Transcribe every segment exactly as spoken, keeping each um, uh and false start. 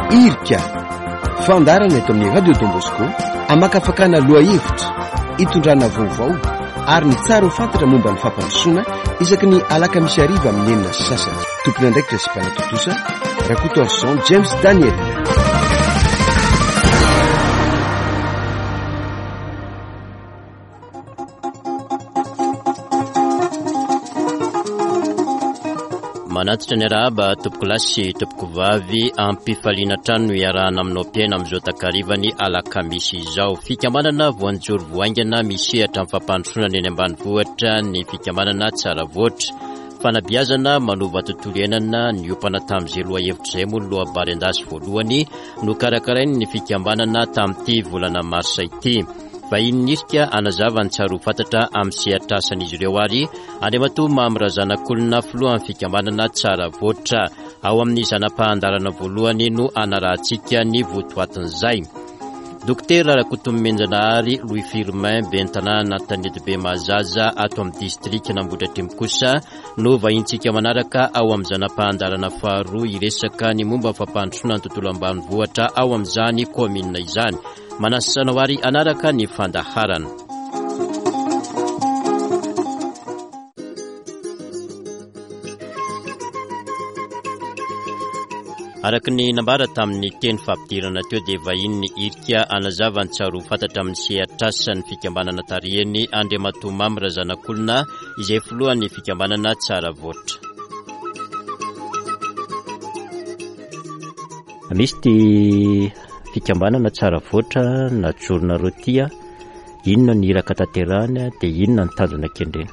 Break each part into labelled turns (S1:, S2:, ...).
S1: Irika, fandaharana eto amin'ny Radio Don Bosco, amakafakana lohahevitra, itondrana vaovao ary ny tsara ho fantatra momba ny fampandrosoana isaky ny alakamisy hariva amin'ny enina sy sasany. Tompon'andraikitra sy mpanatontosa, Rakotoarison James Daniel.
S2: Manatitra ny arahaba tompokolahy sy tompokovavy, ampifaliana hatrany no iarahana aminao mpiaina amin'izao takarivany alakamisy izao. Fikambanana voanjoro voaingana misehatra amin'ny fampandrosoana ny eny ambanivohitra ny fikambanana Tsara Voatra. Fanabeazana manova tontolo iainana niompana tamin'izay lohahevitra izay moa ny lohabary an-dasy voalohany nokarakarain'ny fikambanana tamin'ity volana marsa ity. Vahiny nirika hanazava ny tsara ho fantatra amin'ny sehatr'asan'izy ireo ary Andriamatoa Mamy Razanakolona filohan'ny fikambanana Tsara Voatra. Ao amin'ny zana-pahandarana voalohany no anarahantsika ny votoatin'izay. Dokotera Rakotonomenjanahary Louis Firmin ben'ny tanàna Antanetibe Mahazaza ato amin'ny distrikan'Ambohidratrimo kosa no vahintsika manaraka ao amin'ny zana-pahandarana faharoa hiresaka ny momba ny fampandrosoana ny tontolo ambanivohitra ao amin'izany kaominina izany. Manasa anao ary hanaraka ny fandaharana. Araka ny nambara tamin'ny teny fampidirana teo dia vahiny ny irika hanazava ny tsara ho fantatra amin'ny sehatr'asan'ny fikambanana tarihiny Andriamatoa Mamy Razanakolona izay filohan'ny fikambanana Tsara Voatra. Misy ty fikambanana Tsara Voatra najoronareo ty a, inona ny iraka tanterahany dia inona ny tanjona kendrena?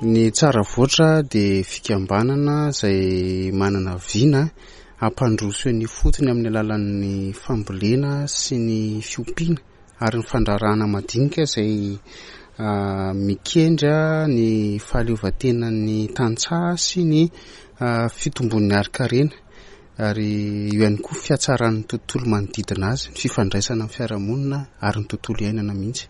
S3: Ny Tsara Voatra dia fikambanana izay manana vina hampandroso ny fotony amin'ny alalan'ny fambolena sy ny fiompiana ary ny fandraharahana madinika izay mikendry ny fahaleovantenan'ny tantsaha sy ny fitombon'ny harin-karena ary eo ihany koa fiatsaran'ny tontolo manodidina azy, ny fifandraisana amin'ny fiarahamonina ary ny tontolo iainana mihitsy.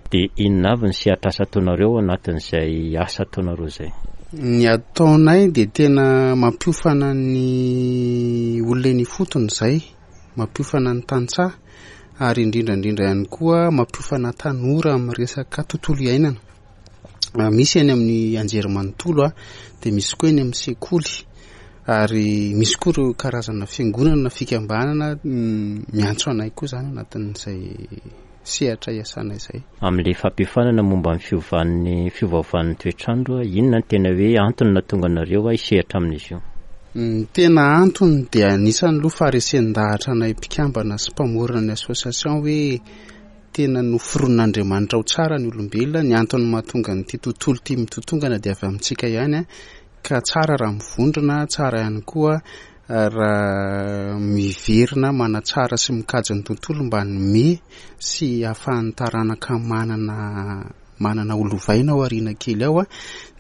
S2: Dia inona avy ny sehatr'asa ataonareo anatin'izay asa ataonareo izay?
S3: Ny ataonay dia tena mampiofana ny olona eny ifotony izay, mampiofana ny tantsaha ary indrindra indrindra ihany koa mampiofana tanora amin'ny resaka tontolo iainana. Misy eny amin'ny anjerimanontolo a, dia misy koa eny amin'ny sekoly ary misy koa ireo karazana fiangonana na fikambanana miantso anay koa izany anatin'izay sehatra iasana izay.
S2: Amin'ilay fampiofanana momba ny fiovan'ny fiovaovan'ny toetrandro, inona ny tena hoe antony nahatonga anareo hisehatra amin'izy io?
S3: Ny tena antony dia anisan'ny loha faharesen-dahatra anay mpikambana sy mpamorona ny association hoe tena noforon'Andriamanitra ho tsara ny olombelona. Ny antony mahatonga an'ity tontolo ity mitotongana dia avy amintsika ihany, ka tsara raha mivondrona, tsara ihany koa raha miverina manatsara sy mikajy ny tontolo mba hanome sy ahafahan'ny taranaka manana, manana ho lovaina ao aoriana kely ao,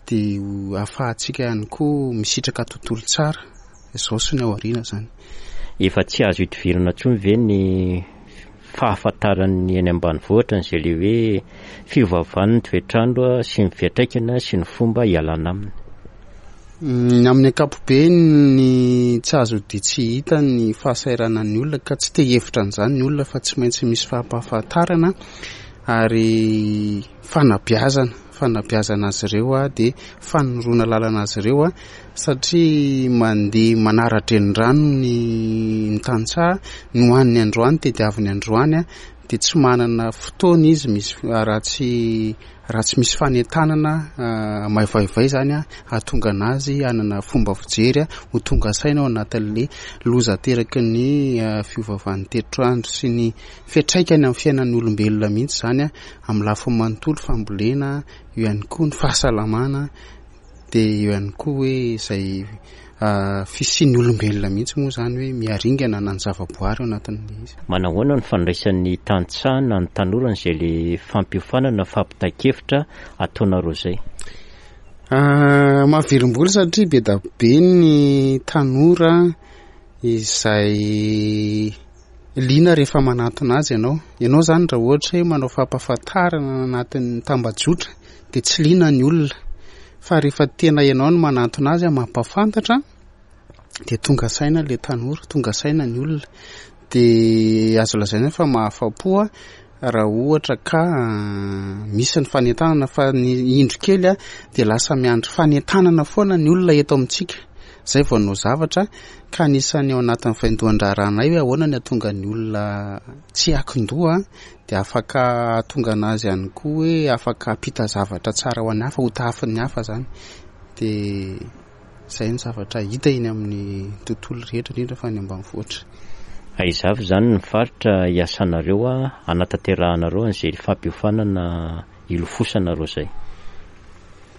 S3: dia ahafahantsika ihany koa misitraka tontolo tsara izao sy ny ao aoriana izany.
S2: Efa tsy azo idivirana intsony ve ny fahafantaran'ny eny ambanivohitra an'izay le hoe fiovaovan'ny toetrandro sy ny fiantraikany sy ny fomba hialana aminy?
S3: Ny amin'ny ankapobeny ny tsy azo dia tsy hita ny fahasahiranan'ny olona ka tsy te hihevitra an'izany ny olona fa tsy maintsy misy fampahafantarana ary fanabeazana, fanabeazana azy ireo a, dia fanoroana lalana azy ireo a, satria mandeha manara-drenirano ny, ny tantsaha, ny hohaniny androany tediaviny androany a, dia tsy manana fotoana izy misy raha tsy raha tsy misy fanentanana maivaivay izany a, hahatonga anazy hanana fomba fijery a, ho tonga saina ao anatin'ilay loza ateraky ny fiovaovan'ny toetrandro sy ny fiantraikany amin'ny fiainan'ny olombelona mihitsy izany a, amin'ny lafiny manontolo fambolena, eo ihany koa ny fahasalamana, dia eo ihany koa hoe izay fisian'ny olombelona mihitsy moa izany hoe miaringana na ny zavaboary ao anatin'ilay izy.
S2: Manahoana ny fandraisan'ny tantsaha na ny tanora an'izay le fampiofanana fampitan-kevitra ataonareo izay?
S3: Mahavelom-bolo satria be dia be ny tanora izay liana rehefa manantona azy ianao. Ianao izany raha ohatra hoe manao fampahafantarana anatin'ny tambajotra dia tsy liana ny olona, fa rehefa tena ianao no manantona azy mampahafantatra dia tonga saina ilay tanora, tonga saina ny olona. Dia azo lazaina fa mahafa-po raha ohatra ka misy ny fanentanana, fa ny indro kely dia lasa miandry fanentanana foana ny olona eto amintsika. Izay vao hanao zavatra, ka anisan'ny ao anatin'ny vaindohan-draharahanay hoe ahoana ny hahatonga ny olona tsy hiankin-doha, dia afaka hahatonga anazy ihany koa hoe afaka hampita zavatra tsara ho an'ny hafa, ho tahafin'ny hafa izany. Dia izay ny zavatra hita eny amin'ny tontolo rehetra, indrindra fa ny ambanivohitra.
S2: Aiza avy izany ny faritra hiasanareo hanatanterahanareo an'izay fampiofanana ilofosanareo izay?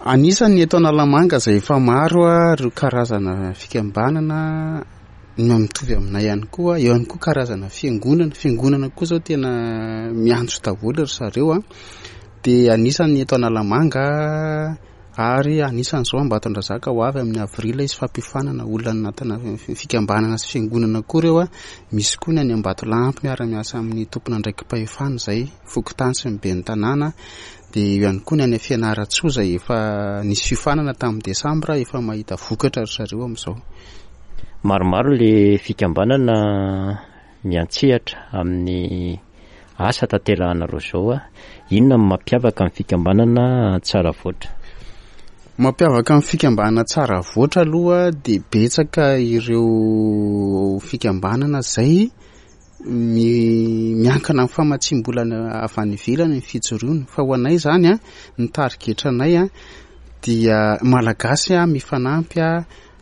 S3: Anisan'ny eto Analamanga izay efa maro ireo karazana fikambanana no mitovy aminay ihany koa. Eo ihany koa karazana fiangonana. Fiangonana koa izao tena miantso daholo ry zareo. Dia anisan'ny eto Analamanga ary anisan'izao Ambatondrazaka ho avy amin'ny avril izy fampiofanana olona anatina fikambanana sy fiangonana koa ireo. Misy koa ny any Ambatolampy miara-miasa amin'ny tompon'andraiki-pahefana izay fokontany sy ny ben'ny tanàna. Dia eo ihany koa ny any Fianarantsoa izay efa nisy fiofanana tamin'ny desambra, efa mahita vokatra ry zareo amin'izao.
S2: Maromaro ilay fikambanana miantsehatra amin'ny asa tanterahanareo izao. Inona no mampiavaka ny fikambanana Tsaravoatra?
S3: Mampiavaka ny fikambanana Tsaravoatra aloha dia betsaka ireo fikambanana izay mi-, miankina amin'ny famatsiam-bola avy any ivelany ny fijoroana. Fa ho anay izany, ny tarigetranay dia Malagasy mifanampy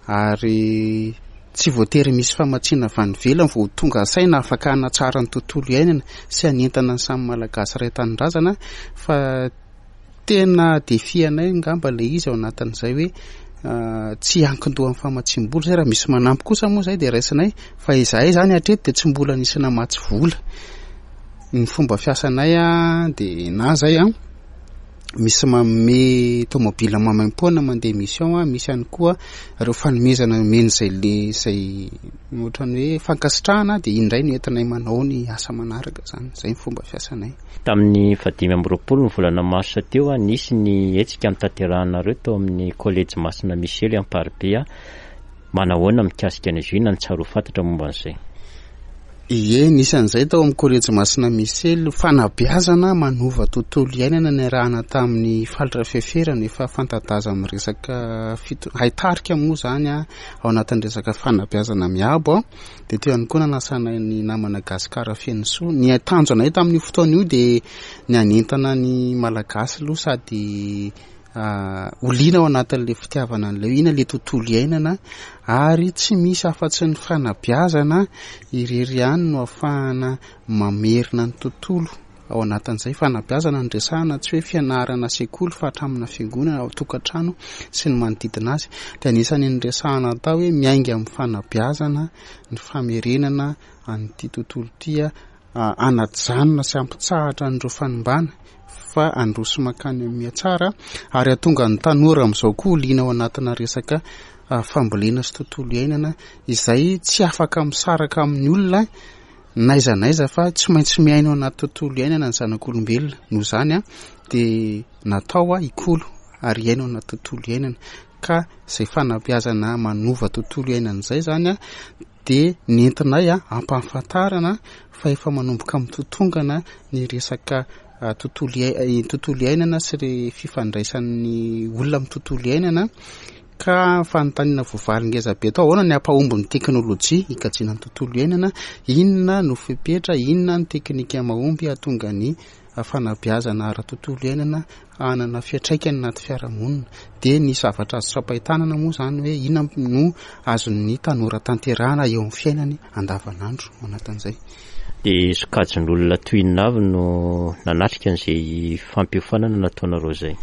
S3: ary tsy voatery misy famatsiana avy any ivelany vao tonga saina afaka hanatsara ny tontolo iainana sy hanentana ny samy Malagasy iray tanindrazana, fa tena défi anay angamba ilay izy ao anatin'izay hoe tsy hiankin-doha amin'ny famatsiam-bola izay. Raha misy manampy kosa moa izay dia raisinay, fa izahay izany hatreto dia tsy mbola nisy namatsy vola. Ny fomba fiasanay dia na izay misy manome tomobile maimaimpoana mandeha mission, misy ihany koa ireo fanomezana omen'izay le izay ohatran'ny hoe fankasitrahana, dia indray no entinay manao ny asa manaraka izany. Izay ny fomba fiasanay.
S2: Tamin'ny fahadimy amby roapolo ny volana marsa teo, nisy ny hetsika notanterahanareo tao amin'ny kolejy Masina Misely Amparibe. Manahoana mikasika an'izy io? Inona no tsara ho fantatra momba an'izay?
S3: Ie, nisy an'izay tao amin'ny kolejy Masina Misely, fanabeazana manova tontolo iainana niarahana tamin'ny Faly Rafeferana, efa fanta-daza amin'ny resaka fito-, haitarika moa izany ao anatin'ny resaka fanabeazana miabo. Dia teo ihany koa nanasana ny namana Gasikara Fenosoa. Ny tanjonay tamin'io fotoana io dia ny hanentana ny Malagasy aloha sady ho liana ao anatin'ilay fitiavana an'ilay hoe inona ilay tontolo iainana, ary tsy misy afa-tsy ny fanabeazana irery ihany no ahafahana mamerina ny tontolo ao anatin'izay. Fanabeazana no resahana, tsy hoe fianarana sekoly fa hatramina fiangonana ao tokantrano sy ny manodidina azy. Dia anisan'ny niresahana tao hoe miainga amin'ny fanabeazana ny famerenana an'ity tontolo ity, hanajanona sy hampitsahatra an'ireo fanimbana fa handroso mankany amin'ny mihatsara, ary hahatonga ny tanora amin'izao koa ho liana ao anatina resaka fambolena sy tontolo iainana izay tsy afaka misaraka amin'ny olona n'aiza n'aiza, fa tsy maintsy miaina ao anaty tontolo iainana ny zanak'olombelona. Noho izany dia natao hikolo ary hiaina ao anaty tontolo iainana, ka izay fanabeazana manova tontolo iainana izay izany dia nentinay hampahafantarana fa efa manomboka mitotongana ny resaka tontolo iai-, tontolo iainana sy ny fifandraisan'ny olona amin'ny tontolo iainana. Ka fanontaniana voavaly ngeza be tao, ahoana ny hampahomby ny teknôlôjia hikajiana ny tontolo iainana, inona no fepetra, inona ny teknika mahomby hahatonga ny fanabeazana ara-tontolo iainana hanana fiantraikany anaty fiarahamonina. Dia ny zavatra azo tsapain-tanana moa izany hoe inona no azon'ny tanora tanterahana eo amin'ny fiainany andavanandro ao anatin'izay.
S2: Dia sokajin'olona toy inona avy no nanatrika an'izay fampiofanana nataonareo izay?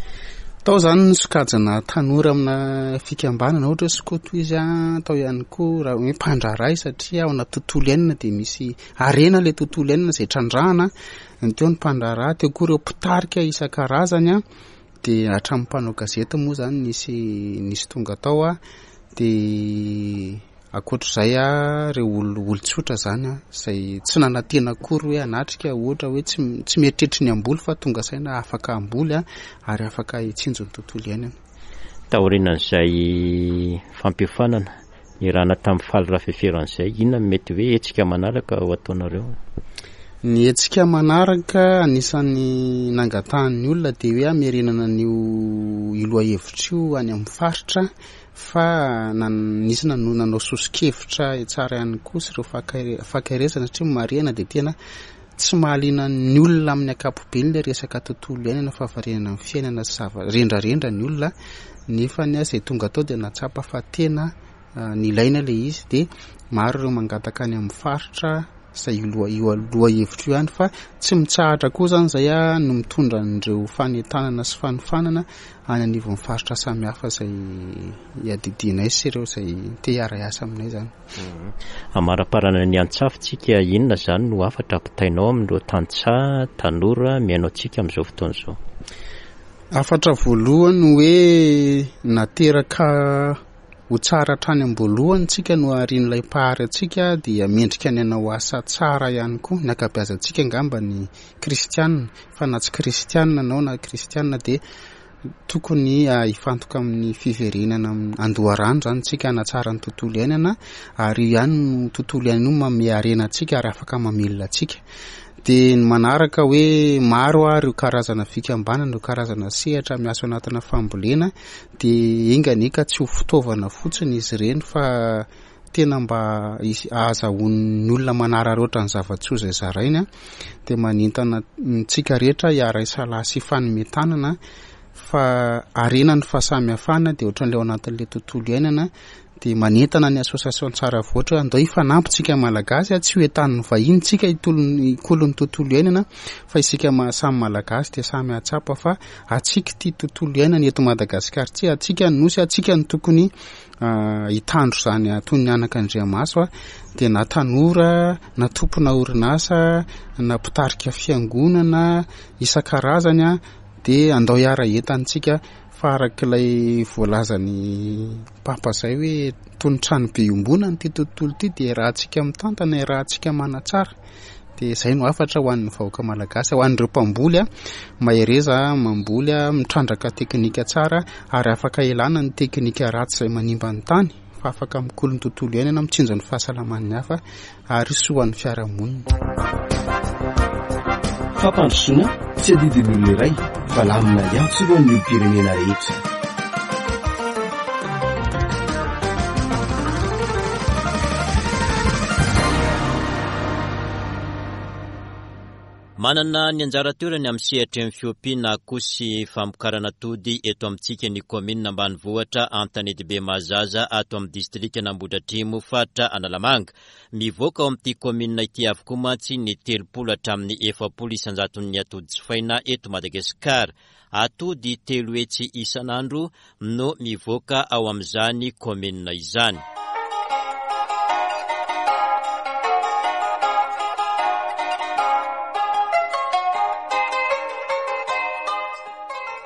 S3: Tao izany ny sokajina tanora amina fikambanana, ohatra hoe skoto izy, tao ihany koa raha hoe mpandraharaha satria ao anaty tontolo iainana dia misy harena ilay tontolo iainana izay trandrahana. Ny teo ny mpandraharaha, teo koa ireo mpitarika isan-karazany, dia hatramin'ny mpanao gazety moa izany nisy, nisy tonga tao. Dia ankoatr'izay ireo olo-, olon-tsotra izany izay tsy nanantena akory hoe hanatrika, ohatra hoe tsy, tsy mieritreritra ny hamboly fa tonga saina afaka hamboly ary afaka hitsinjo ny tontolo iainana.
S2: Taorian'izay fampiofanana Niarahana tamin'i Faly Rafeferan'izay. Inona no mety hoe hetsika manaraka ho ataonareo?
S3: Ny hetsika manaraka anisan'ny nangatahan'ny olona dia hoe hamerenana an'io io lohahevitra io any amin'ny faritra fa nisy nanao soso-kevitra tsara ihany koa sy ireo fankaherezana satria marihana dia tena tsy mahaliana ny olona amin'ny ankapobeny ilay resaka tontolo iainana, fahavarinana amin'ny fiainana sy zava rendrarendra ny olona, nefa ny azy izay tonga tao dia nahatsapa fa tena nilaina ilay izy dia maro ireo mangataka any amin'ny faritra izay io loha io lohahevitra io ihany fa tsy mitsahatra koa izany izay no mitondra an'ireo fanentanana sy fanofanana any anivon'ny faritra samihafa izay iadidianay sy ireo izay te hiara-hiasa aminay izany.
S2: Amaraparana ny antsafintsika, inona izany no hafatra ampitainao amin'ireo tantsaha tanora mihaino antsika amin'izao fotoana izao?
S3: Hafatra voalohany hoe nateraka ho tsara hatrany am-boalohany tsika no arin'ilay mpahary antsika dia mendrika ny hanao asa tsara ihany koa. Ny ankabeazantsika angamba ny kristianina, fa na tsy kristianina anao na kristianina dia tokony hifantoka amin'ny fiverenana andoharano izany tsika hanatsara ny tontolo iainana, ary io ihany no tontolo iainana io manome harena antsika ary afaka mamelona antsika. Dia ny manaraka hoe maro ary ireo karazana fikambanana, ireo karazana sehatra miasa anatina fambolena, dia enga anie ka tsy ho fitaovana fotsiny izy ireny fa tena mba ahazahoan'ny olona manararaotra ny zava-tsoa izay zarainy. Dia manentana antsika rehetra hiara-hisalahy sy hifanome tanana fa harena ny fahasamihafana, dia ohatran'ilay ao anatin'ilay tontolo iainana. Dia manentana ny association Tsara Voatra hoe andao hifanampy tsika Malagasy, tsy ho entanin'ny vahiny tsika hikolo ny tontolo iainana, fa isika samy Malagasy dia samy hahatsapa fa antsika ity tontolo iainana eto Madagasikara ity, antsika ny nosy, antsika no tokony hitandro izany toy ny anakandriamaso. Dia na tanora, na tompona orinasa, na mpitarika fiangonana isan-karazany, dia andao hiara-hientantsika fa arak'ilay voalazan'ny Papa izay hoe toy ny trano be iombonana ity tontolo ity, dia rahantsika mitantana, rahantsika manatsara. Dia izay no hafatra ho an'ny vahoaka malagasy, ho an'ireo mpamboly, mahereza mamboly, mitrandraka teknika tsara, ary afaka ilana ny teknika ratsy izay manimba ny tany, fa afaka mikolo ny tontolo iainana, mitsinjo ny fahasalaman'ny hafa ary soa ho an'ny fiarahamonina.
S1: Fampandrosoana tsy adidin'ny olona iray fa lamina iantsorohan'ny olom-pirenena rehetra.
S2: Manana ny anjara toerany amin'ny sehatry ny fiompiana akoho sy famokarana atody eto amintsika ny kaominina ambanivohitra Antanetibe Mahazaza ato amin'ny distrikan'Ambohidratrimo faritra Analamanga. Mivoaka ao amin'ity kaominina ity avokoa mantsy ny telopolo hatramin'ny efapolo isan-jaton'ny atody jifaina eto Madagasikara. Atody telo hetsy isan'andro no mivoaka ao amin'izany kaominina izany.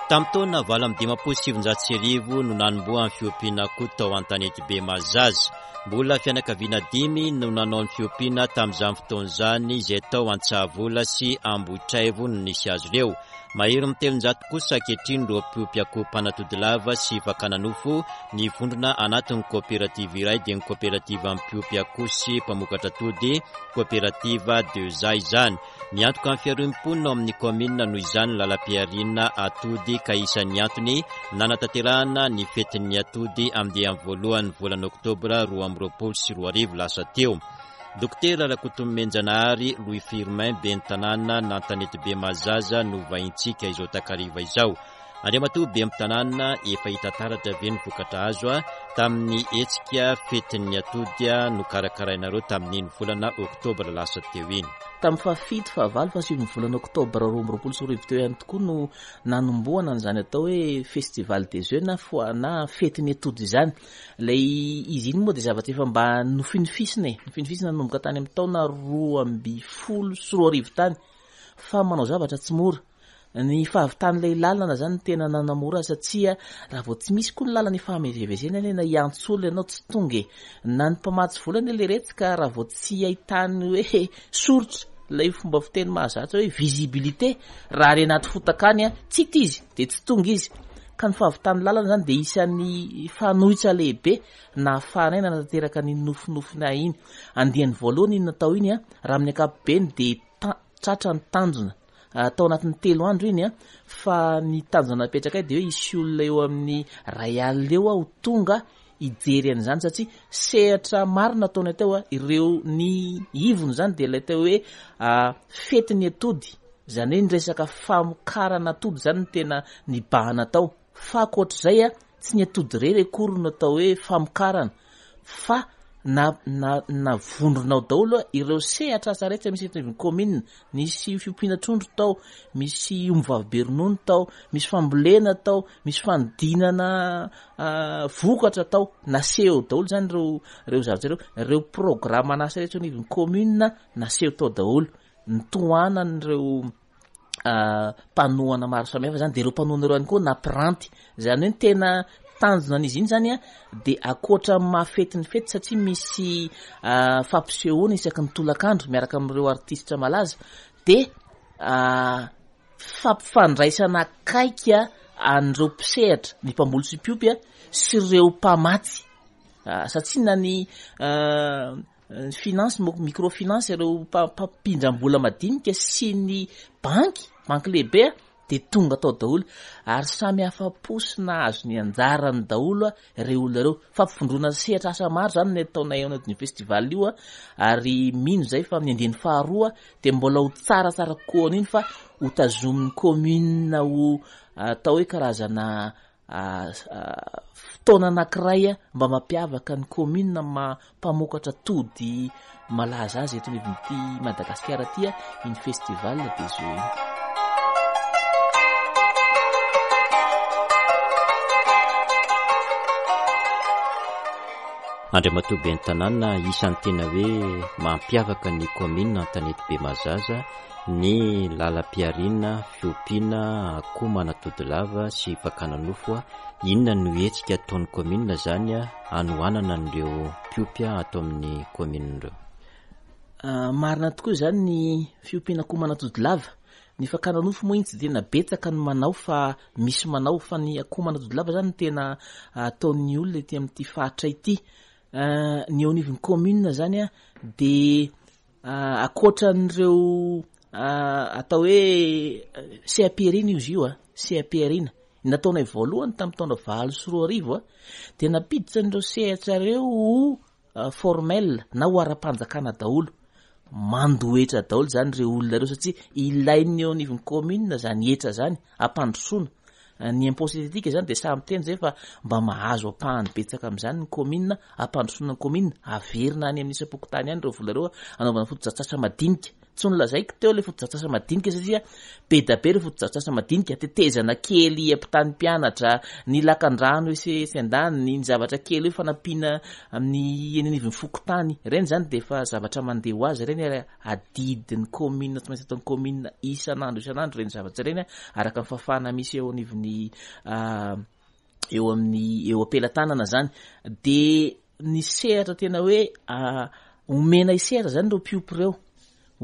S2: Tamin'ny taona valo amby dimampolo sy sivinjato sy arivo no nanombohan'ny fiompiana akoho tao Antanetibe Mahazaza. Mbola fianakaviana dimy no nanao ny fiompiana tamin'izany fotoana izany, izay tao Antsahavola sy Ambohitraivo no nisy azy ireo. Mahery ny telonjato kosa ankehitriny ireo mpiompy akoho mpanatody lava sy fakana nofo ny vondrona anatin'ny koperativa iray, dia ny koperativa mpiompy akoho sy mpamokatra atody, koperativa Deza izany. Miantoka ny fiaroan'ny mponina ao amin'ny kaominina noho izany ny lalam-pihariana atody, ka isan'ny antony nanatanterahana ny fetin'ny atody andiany voalohany volana oktobra roa amby roapolo sy roa arivo lasa teo. Dokotera Rakotonomenjanahary Louis Firmin, ben'ny tanàna n'Antanetibe Mahazaza no vahintsika izao takariva izao. Andriamatoa ben'ny tanàna, efa hita taratra ve ny vokatra azo tamin'ny hetsika fetin'ny atody nokarakarainareo tamin'iny volana oktobra lasa teo iny?
S4: Tamin'ny fahafito, fahavalo, fahasivy ny volana oktobra roa amby roapolo sy roa arivo teo ihany tokoa no nanombohana an'izany atao hoe festival des œufs na foa-, na fetin'ny atody izany. Ilay izy iny moa dia zavatra efa mba nofinofisina e, nofinofisina nanomboka tany amin'ny taona roa amby folo sy roa arivo tany, fa manao zavatra tsy mora. Ny fahavitan'ilay lalana zany tena nanamora satria raha vao tsy misy koa ny lalana ifamezivezena anie na hiantso olona ianao tsy tonga e. Na ny mpamatsy vola anie le retsy ka raha vao tsy ahitany hoe soritra ilay fomba fiteny mahazatra hoe visibilité, raha any anaty fotaka any, tsy hita izy dia tsy tonga izy. Ka ny fahavitan'ny lalana zany dia isan'ny fanoitra lehibe nahafahanay nanatanteraka ny nofinofinay iny. Andiany voalohany iny natao iny a, raha amin'ny ankapobeny dia ta-, tratra ny tanjona. Ah, tao anatin'ny telo andro iny a, fa ny tanjona napetrakay dia hoe hisy olona eo amin'ny ray alina eo ho tonga hijery an'izany, satria sehatra maro nataonay teo a, ireo ny ivony zany dia ilay teo hoe, ah, fetin'ny atody, zany hoe ny resaka famokarana atody zany no tena nibahana tao. Fa ankoatr'izay a, tsy ny atody irery akory no atao hoe famokarana, fa na, na, na vondrona ao daholo a, ireo sehatra asa rehetra misy eto anivon'ny commune. Nisy fiompiana trondro tao, misy ombivavy be ronono tao, misy fambolena tao, misy fanodinana, ah, vokatra tao. Naseho daholo zany ireo, ireo zavatra ireo, ireo programme an'asa rehetra eo anivon'ny commune naseho tao daholo. Nitohanan'ireo, ah, mpanohana maro samihafa zany, dia ireo mpanohana ireo ihany koa nampiranty. Zany hoe ny tena tanjona an'izy iny zany a, dia ankoatra ny mahafety ny fety, satria misy, ah, fampisehoana isaky ny tolakandro miaraka amin'ireo artista malaza, dia, ah, fampifandraisana akaiky an'ireo mpisehatra, ny mpamboly sy mpiompy a, sy ireo mpamatsy. Ah, satria na ny, ah, ny finance, mo-, microfinance, ireo mpa-, mpampindram-bola madinika sy ny banky, banky lehibe a, dia tonga tao daholo, ary samy afa-po sy nahazo ny anjarany daholo a, ireo olona ireo. Fampivondrona sehatra asa maro zany ny ataonay ao anatin'io festival io a, ary mino zay fa amin'ny andiany faharoa dia mbola ho tsaratsara kokoa an'iny, fa ho tazomin'ny commune ho atao hoe karazana, ah, ah, fotoana anankiray a, mba mampiavaka ny commune ma-, mpamokatra tody malaza azy eto anivon'ity Madagasikara ity a, iny festival des œufs iny.
S2: Andriamatoa Ben'ny Tanàna, isan'ny tena hoe mampiavaka ny commune Antanety Bemazaza ny lalam-pihariana, fiompiana akoho manatody lava sy fakana nofo. Inona no hetsika ataon'ny commune zany hanohanana an'ireo mpiompy ato amin'ny commune ireo?
S4: Ah, marina tokoa izany ny fiompiana akoho manatody lava. Ny fakana nofo moa iny tsy dia tena betsaka ny manao, fa misy manao, fa ny akoho manatody lava zany no tena ataon'ny olona ety amin'ity faritra ity. Ah, ny eo anivon'ny commune zany a, dia, ah, ankoatran'ireo, ah, atao hoe seha-pihariana izy io a, seha-pihariana. Nataonay voalohany tamin'ny taona valo sy roa arivo a, dia nampiditra an'ireo sehatra ireo ho, ah, formel na ho ara-panjakana daholo. Mandoa hetra daholo zany ireo olona ireo, satria ilain'ny eo anivon'ny commune zany hetra zany hampandrosoana. Ny impôt synthétique zany dia samy miteny zay fa mba mahazo ampahany betsaka amin'izany ny commune, hampandrosoana ny commune, averina any amin'ny isam-pokontany ihany ireo vola ireo hanaovana fotodrafitrasa madinika. Tsy nolazaiko teo ilay fotodrafitrasa madinika, satria be dia be ireo fotodrafitrasa madinika, tetezana kely ampitany mpianatra, ny lakandrano etsy etsy andaniny, ny zavatra kely hoe fanampiana amin'ny eny anivon'ny fokontany. Ireny zany dia efa zavatra mandeha ho azy ireny, ary adidin'ny commune, tsy maintsy ataon'ny commune isan'andro isan'andro ireny zavatra ireny, araka ny fahafahana misy eo anivon'ny, ah, eo amin'ny, eo am-pelatanana zany. Dia ny sehatra tena hoe, ah, omena sehatra zany ireo mpiompy ireo,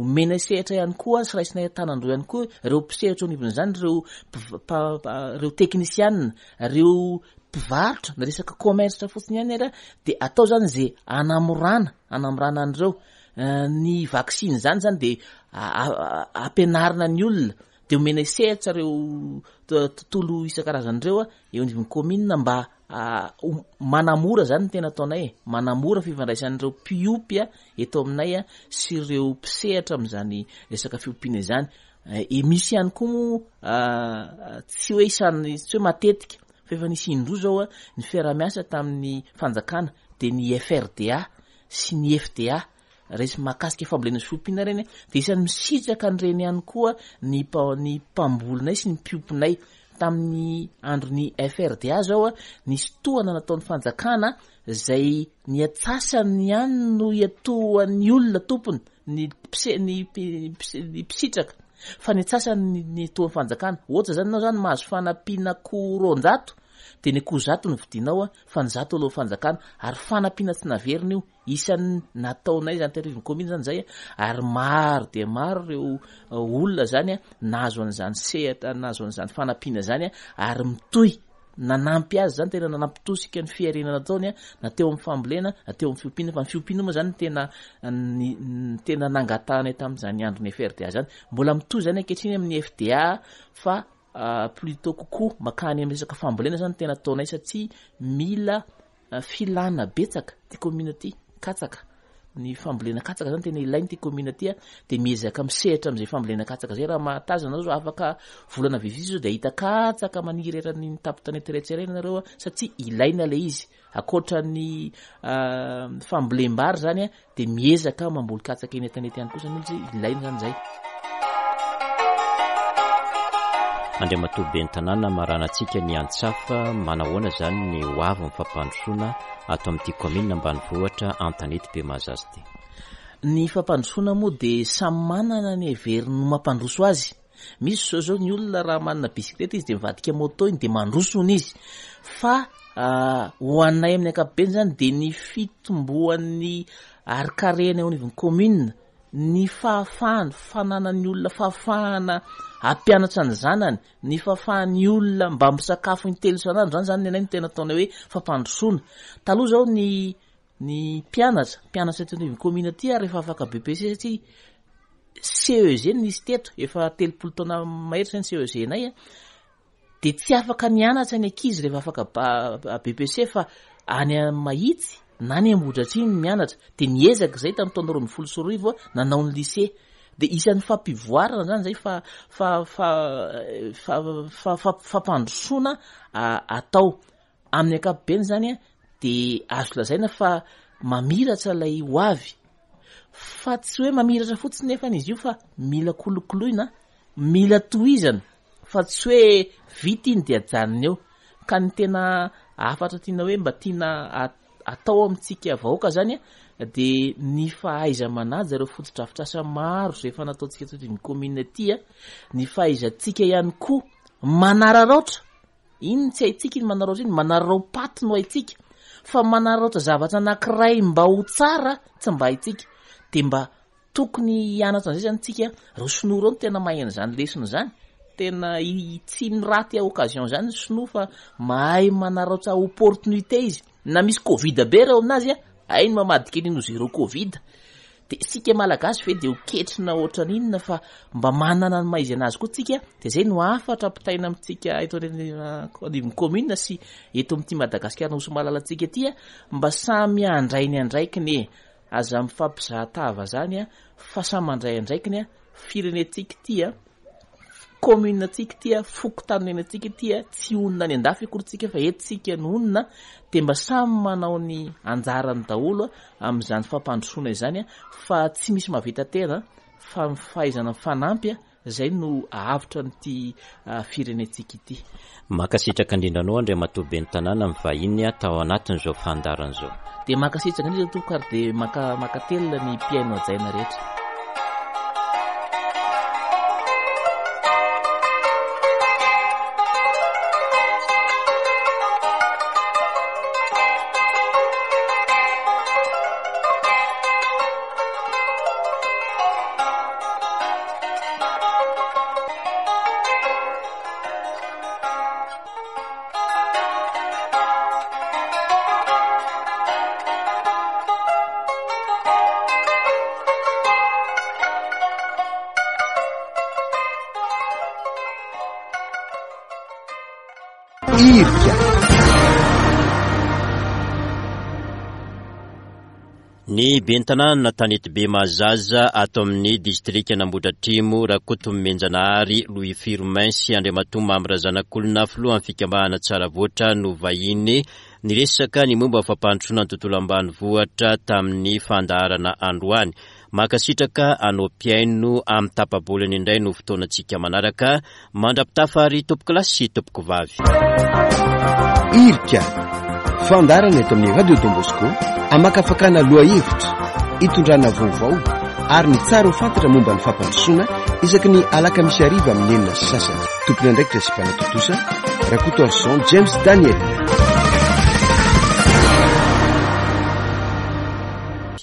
S4: omena sehatra ihany koa sy raisinay an-tanan-droa ihany koa ireo mpisehatra eo anivon'izany, ireo mpiv-, mpa-, mpa-, ireo teknisianina, ireo mpivarotra, na resaka commerce fotsiny ihany ary, dia atao zany izay hanamorana, hanamorana an'ireo. Eh, ny vaksiny zany zany dia a-, a-, a-, ampianarina ny olona, dia omena sehatra ireo to-, tontolo isan-karazany ireo a, eo anivon'ny commune mba, a, ho-, manamora zany ny tena ataonay e, manamora fifandraisan'ireo mpiompy a, eto aminay a, sy ireo mpisehatra amin'izany resaka fiompiana izany. Eh, e misy ihany koa moa, a, tsy hoe isan'ny, tsy hoe matetika, fa efa nisy indroa zao a, ny fiaraha-miasa tamin'ny fanjakana, dia ny F R D A sy ny F D A, resy mahakasika fambolena sy fiompiana ireny, dia isan'ny misitraka an'ireny ihany koa ny mpa-, ny mpambolinay sy ny mpiompinay. Tamin'ny andron'ny F R D A zao a, nisy tohana nataon'ny fanjakana izay ny antsasany ihany no iatohan'ny olona tompony, ny mpise-, ny mpi-, mpise-, ny mpisitraka, fa ny antsasany ny, ny tohan'ny fanjakana. Ohatra zany ianao zany mahazo fanampiana akoho roanjato, dia ny akoho zato no vidinao a, fa ny zato alohan'ny fanjakana, ary fanampiana tsy naverina io. Isan'ny nataonay zany teto anivon'ny commune zany zay a, ary maro dia maro ireo olona zany a, nahazo an'izany sehatra, nahazo an'izany fanampiana zany a, ary mitohy nanampy azy zany, tena nanampitosika ny fiarenana nataony a, na teo amin'ny fambolena na teo amin'ny fiompiana. Fa ny fiompiana moa zany tena ny, ny tena nangatahana tamin'izany andron'ny F R D A zany. Mbola mitohy zany ankehitriny amin'ny F D A fa, ah, plutôt kokoa makany amin'ny resaka fambolena zany tena ataonay, satria mila, ah, filana betsaka ty commune ty, katsaka. Ny fambolena katsaka zany tena ilainy ty commune ty a, de miezaka misehatra amin'izay fambolena katsaka zay. Raha mahatazana zao, afaka volana vitsivitsy zao de ahita katsaka maniry eran'ny tampon-tanety rehetra ireny nareo a, satria ilaina le izy. Ankoatra ny, ah, fambolem-bary zany a, de miezaka mamboly katsaka eny an-tanety ihany koa zany izy, ilaina zany zay.
S2: Andriamatoa Ben'ny tanàna, maranantsika ny antsafa, manahoana zany ny ho avy ny fampandrosoana ato amin'ity commune ambanivohitra Antanety Bemahazaza ity?
S4: Ny fampandrosoana moa de samy manana ny heveriny no mampandroso azy. Misy zao zao ny olona raha manana bisikileta izy de mivadika moto iny de mandroso hono izy. Fa, ah, ho anay amin'ny ankapobeny zany de ny fitomboan'ny harikarena eo anivon'ny commune, ny fahafahany, fananan'ny olona fahafahana hampianatra ny zanany, ny fahafahan'ny olona mba misakafo intelo isan'andro, zany zany ny anay no tena ataonay hoe fampandrosoana. Taloha zao ny, ny mpianatra, mpianatra eto anivon'ny commune aty ary efa afaka B P C satria C E G no nisy teto, efa telopolo taona mahery zany C E G nay a. De tsy afaka nianatra ny ankizy rehefa afaka ba-, B P C fa any Mahitsy na any Ambohidratrimo no mianatra. De niezaka izay tamin'ny taona roa ambin'ny folo sy roa arivo nanao ny lycée. De isan'ny fampivoarana zany zay fa, fa, fa, fa, fa, fa, fampandrosoana, a, atao. Amin'ny ankapobeny zany a, de azo lazaina fa mamiratra ilay ho avy. Fa tsy hoe mamiratra fotsiny nefa izy io fa mila kolokoloina, mila tohizana, fa tsy hoe vita iny de ajanona eo. Ka ny tena hafatra tiana hoe mba tiana a-, atao amintsika vahoaka zany a, de ny fahaiza-manaja ireo fotodrafitrasa maro izay efa nataontsika teto amin'ny commune aty a, ny fahaizantsika ihany koa manararaotra. Iny tsy haintsika iny manararaotra iny, manararao-paty no haintsika, fa manararaotra zavatra anankiray mba ho tsara tsy mba haintsika. De mba tokony hianatra an'izay zany tsika. Ireo sinoa ireo no tena mahay an'izany lesona izany, tena i-, tsy miraty occasion zany ny sinoa fa mahay manararaotra opportunité izy. Na misy Covid be reo aminazy a, hainy mamadika an'iny ho zéro Covid. De sika malagasy ve de ho ketrina ohatran'inona fa mba manana ny maha izy anazy koa tsika. De zay no hafatra ampitaina amintsika eto anivon'ny commune sy eto amin'ity Madagasikara nosy malalantsika ity a, mba samy handray ny andraikiny e. Aza mifampizahatava zany a, fa samy mandray andraikiny a. Firenentsika ity a, commune tsika ity a, fokontany ity a, tsy honina any an-dafy akory tsika fa eto tsika no honina. De mba samy manao ny anjarany daholo a amin'izany fampandrosoana izany a, fa tsy misy mahavita tena fa ny fahaizana mifanampy a, zay no ahavitra an'ity, ah, firenentsika ity.
S2: Mankasitraka indrindra anao Andriamatoa Ben'ny tanàna mivahiny tao anatin'izao fandaharana izao.
S4: De mankasitraka indrindra tompoko ary de maka-, mankatelina ny mpihaino hajaina rehetra.
S1: Irika.
S2: Ny ben'ny tanàna Tanety Bemahazaza ato amin'ny distrika Nambodratrimo, Rakotomenjanahary Louis Firmin sy Andriamatoa Mamy Razanakolona, filohan'ny fikambanana Tsaravoatra no vahiny niresaka ny momba fampandrosoana ny tontolo ambanivohitra tamin'ny fandaharana androany. Mankasitraka anao mpihaino amin'ny tapa-bolana indray no fotoanantsika manaraka. Mandra-pitafa ary tompoko lahy sy tompoko vavy.
S1: Irika, fandaharana eto amin'ny Radio Don Bosco, amakafakana lohahevitra, itondrana vaovao ary ny tsara ho fantatra momba ny fampandrosoana isaky ny alakamisy hariva amin'ny enina sy sasany. Tompon'andraikitra sy mpanatontosa, Rakotoarison James Daniel.